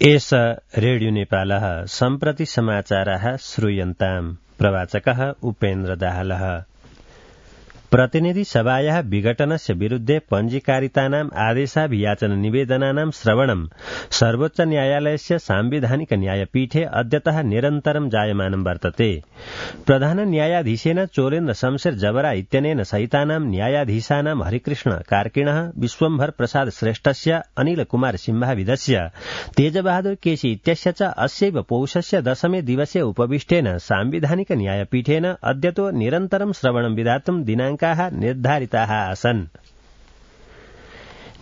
एष रेडियो नेपालः सम्प्रति समाचाराः श्रूयन्ताम्। प्रवाचकः उपेन्द्र दाहालः। प्रतिनिधि सभायाः विघटनस्य विरुद्धे पञ्जीकारितानाम् आदेशाभियाचन निवेदनानां श्रवणं सर्वोच्च न्यायालयस्य सांविधानिक न्यायपीठे अद्यतः निरन्तरं जायमानं वर्तते। प्रधान न्यायाधीशेन चोलेन्द्र शमशेर जबरा इत्यनेन सहितानां न्यायाधीशानां हरिकृष्ण कार्किणः, विश्वम्भर प्रसाद श्रेष्ठस्य, अनिल कुमार सिंहाविदस्य, तेजबहादुर केसी इत्यस्य च अस्यैव पौषस्य 10मे दिवसे उपविष्टेन सांविधानिक न्यायपीठेन अद्यतो निरन्तरं श्रवणं विधातुं दिनाङ्काः निर्धारिताः आसन्।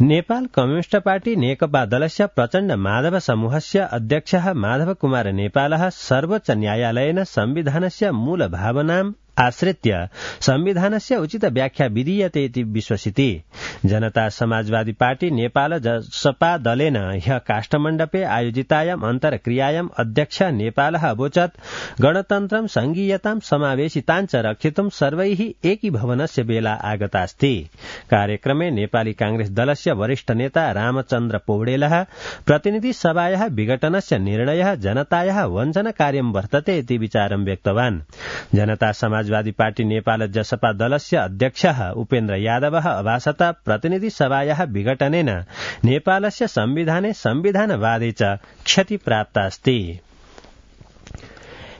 नेपाल कम्युनिष्ट पार्टी नेकपा दलस्य प्रचण्ड माधव समूहस्य अध्यक्षः माधव कुमार नेपालः सर्वोच्च न्यायालयेन संविधानस्य मूल भावनाम् आश्रित्य संविधानस्य उचित व्याख्या विधीयते इति विश्वसिति। जनता समाजवादी पार्टी नेपाल जसपा दलेन ह्य काष्ठमण्डपे आयोजितायाम् अन्तर्क्रियायाम् अध्यक्ष नेपालः अवोचत् गणतन्त्रं संघीयतां समावेशिताञ्च रक्षितुं सर्वैः एकीभवनस्य बेला आगतास्ति। कार्यक्रमे नेपाली कांग्रेस दलस्य वरिष्ठ नेता रामचन्द्र पौडेलः प्रतिनिधि सभायाः विघटनस्य निर्णयः जनतायाः वञ्चनकार्यं वर्तते इति विचारं व्यक्तवान्। जनता समाजवादी पार्टी नेपाल जसपा दलस्य अध्यक्षः उपेन्द्र यादवः अभासत प्रतिनिधि सभायाः विघटनेन नेपालस्य संविधाने संविधानवादे च क्षति प्राप्तास्ति।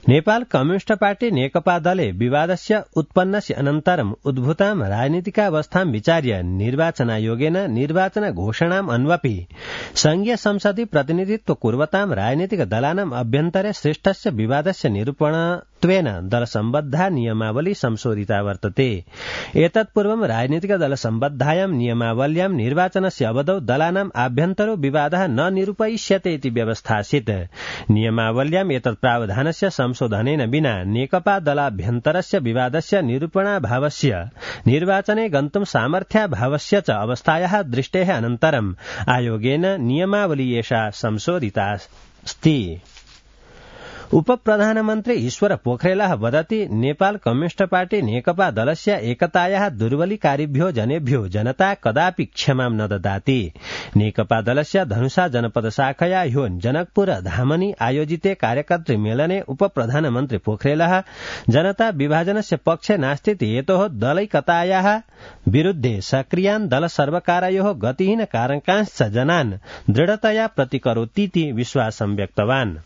नेपाल कम्युनिष्ट पार्टी नेकपा दले विवादस्य उत्पन्नस्य अनन्तरम् उद्भूतां राजनीतिकावस्थां विचार्य निर्वाचनायोगेन निर्वाचन घोषणाम् अन्वपि संघीय संसदि प्रतिनिधित्व कुर्वतां राजनीतिक दलानाम् अभ्यन्तरे सृष्टस्य विवादस्य निरूपणत्वेन दलसम्बद्धा नियमावली संशोधिता वर्तते। एतत्पूर्वं राजनीतिक दलसम्बद्धायां नियमावल्यां निर्वाचनस्य अवधौ दलानाम् आभ्यन्तरो विवादः न निरूपयिष्यते इति व्यवस्थासीत्। नियमावल्याम् एतत् प्रावधानस्य संशोधनेन विना नेकपा दलाभ्यन्तरस्य विवादस्य निरूपणाभावस्य निर्वाचने गन्तुं सामर्थ्याभावस्य च अवस्थायाः दृष्टेः अनन्तरम् आयोगेन नियमावली एषा संशोधितास्ति। उपप्रधानमन्त्री ईश्वर पोखरेलः वदति नेपाल कम्युनिष्ट पार्टी नेकपा दलस्य एकतायाः दुर्बलीकारिभ्यो जनेभ्यो जनता कदापि क्षमां न ददाति। नेकपा दलस्य धनुषा जनपद शाखया ह्यो जनकपुर धामनि आयोजिते कार्यकर्तृ मेलने उपप्रधानमन्त्री पोखरेलः जनता विभाजनस्य पक्षे नास्ति हेतोः दलैकतायाः विरुद्धे सक्रियान् दल सर्वकारयोः गतिहीन कारकांश्च जनान् दृढतया प्रतिकरोतीति विश्वासं व्यक्तवान्।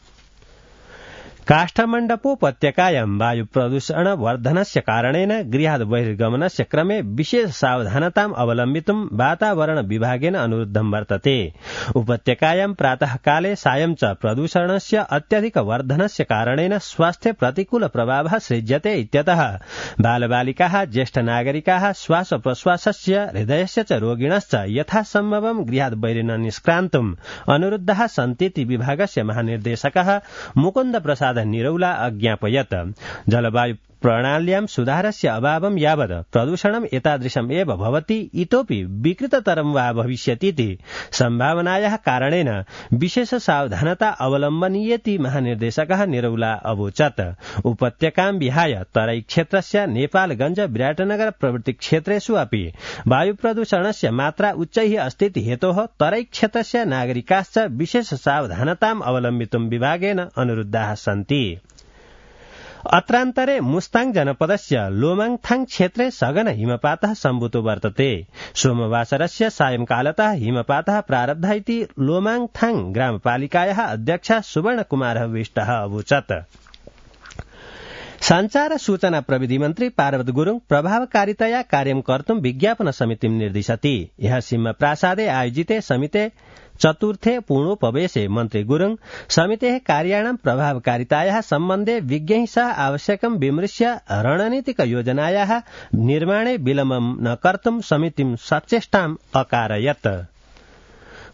काष्ठमण्डपोपत्यकायां वायु प्रदूषण वर्धनस्य कारणेन गृहात् बहिर्गमनस्य क्रमे विशेष सावधानताम् अवलम्बितुं वातावरण विभागेन अनुरुद्धं वर्तते। उपत्यकायां प्रातःकाले सायं च प्रदूषणस्य अत्यधिक वर्धनस्य कारणेन स्वास्थ्ये प्रतिकूल प्रभावः सृज्यते इत्यतः बालबालिकाः, ज्येष्ठ नागरिकाः, श्वास प्रश्वासस्य, हृदयस्य च रोगिणश्च यथासम्भवं गृहात् बहिर्न निष्क्रान्तुम् अनुरुद्धाः सन्तीति विभागस्य महानिर्देशकः मुकुन्द प्रसाद निरौला अज्ञापयत्। जलवायु प्रणाल्यां सुधारस्य अभावं यावत् प्रदूषणम् एतादृशम् एव भवति, इतोपि विकृततरं वा भविष्यतीति सम्भावनायाः कारणेन विशेष सावधानता अवलम्बनीयेति महानिर्देशकः निरौला अवोचत्। उपत्यकां विहाय तराई क्षेत्रस्य नेपालगञ्ज, विराटनगर प्रभृति क्षेत्रेषु अपि वायु प्रदूषणस्य मात्रा उच्चैः अस्तीति हेतोः तराई क्षेत्रस्य नागरिकाश्च विशेष सावधानताम् अवलम्बितुं विभागेन अनुरुद्धाः सन्ति। अत्रान्तरे मुस्ताङ जनपदस्य लोमाङथाङ क्षेत्रे सघन हिमपातः सम्भूतो वर्तते। सोमवासरस्य सायंकालतः हिमपातः प्रारब्धः इति लोमाङथाङ ग्रामपालिकायाः अध्यक्षः सुवर्णकुमारः विष्टः अवोचत्। संचार सूचना प्रविधि मन्त्री पार्वत गुरुङ प्रभावकारितया कार्यं कर्तुं विज्ञापन समितिं निर्दिशति। ह्यः सिंहप्रासादे आयोजिते समिते चतुर्थे पूर्णोपवेशे मन्त्री गुरुङ समितेः कार्याणां प्रभावकारितायाः सम्बन्धे विज्ञैः सह आवश्यकं विमृश्य रणनीतिक योजनायाः निर्माणे विलम्बं न कर्तुं समितिं सचेष्टाम् अकारयत्।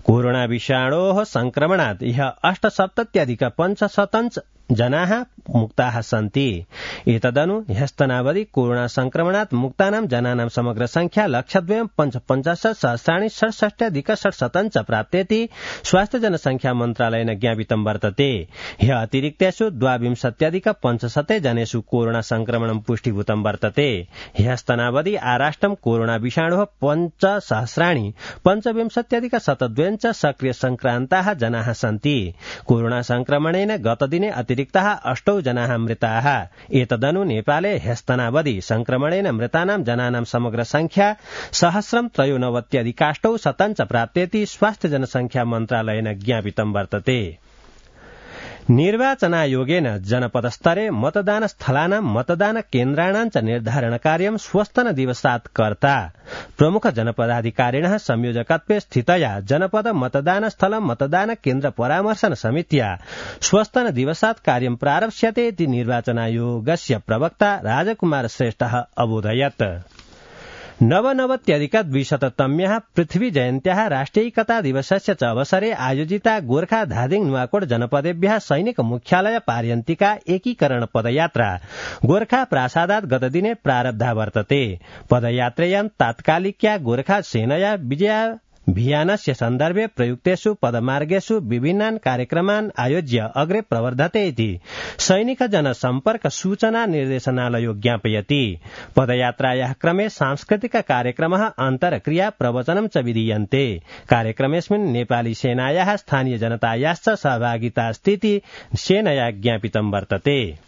कोरोना विषाणोः संक्रमणात् ह्यः 870,500 जनाः मुक्ताः सन्ति। एतदनु ह्यस्तनावधि कोरोना संक्रमणात् मुक्तानां जनानां समग्र संख्या 1,55,सहस्राणि 67,660 प्राप्तेति स्वास्थ्य जनसंख्या मन्त्रालयेन ज्ञापितं वर्तते। ह्य अतिरिक्तेषु 22,500 जनेषु कोरोना संक्रमणं पुष्टिभूतं वर्तते। ह्यस्तनावधि आराष्ट्रं कोरोना विषाणोः 5,5,पंचविंशत्यधिक-102 सक्रिय संक्रान्ताः जनाः सन्ति। कोरोना संक्रमणेन गतदिने अतिरिक्ताः 8 जनाः मृताः। एतदनु नेपाले ह्यस्तनावधि संक्रमणेन मृतानां जनानां समग्र संख्या 1,93,800 प्राप्तेति स्वास्थ्य जनसंख्या मन्त्रालयेन ज्ञापितं वर्तते। निर्वाचनायोगेन जनपदस्तरे मतदानस्थलानां मतदानकेन्द्राणां च निर्धारणकार्यं श्वस्तनदिवसात् कर्ता। प्रमुख जनपदाधिकारिणः संयोजकत्वे स्थितया जनपद मतदानस्थल मतदानकेन्द्र परामर्शन समित्या श्वस्तनदिवसात् कार्यं प्रारप्स्यते इति निर्वाचनायोगस्य प्रवक्ता राजकुमार श्रेष्ठः अबोधयत्। 99,200तम्याः पृथ्वी जयन्त्याः राष्ट्रियैकता दिवसस्य च अवसरे आयोजिता गोर्खा धादिङ नुवाकोट जनपदेभ्यः सैनिक मुख्यालय पार्यन्तिका एकीकरण पदयात्रा गोर्खा प्रासादात् गतदिने प्रारब्धा वर्तते। पदयात्रेयां तात्कालिक्या गोर्खा सेनया विजयाभियानस्य सन्दर्भे प्रयुक्तेषु पदमार्गेषु विभिन्नान् कार्यक्रमान् आयोज्य अग्रे प्रवर्धते इति सैनिक जनसम्पर्क सूचना निर्देशनालयो ज्ञापयति। पदयात्रायाः क्रमे सांस्कृतिक कार्यक्रमः अन्तर्क्रिया प्रवचनं च विधीयन्ते। कार्यक्रमेऽस्मिन् नेपाली सेनायाः स्थानीय जनतायाश्च सहभागितास्तीति सेनया ज्ञापितं वर्तते।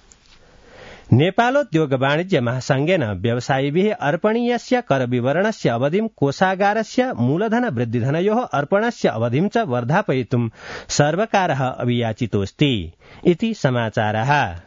नेपालोद्योग वाणिज्य महासंघेन व्यवसायिभिः अर्पणीयस्य करविवरणस्य अवधिं कोषागारस्य मूलधन वृद्धिधनयोः अर्पणस्य अवधिं च वर्धापयितुं सर्वकारः अभियाचितोऽस्ति इति समाचारः।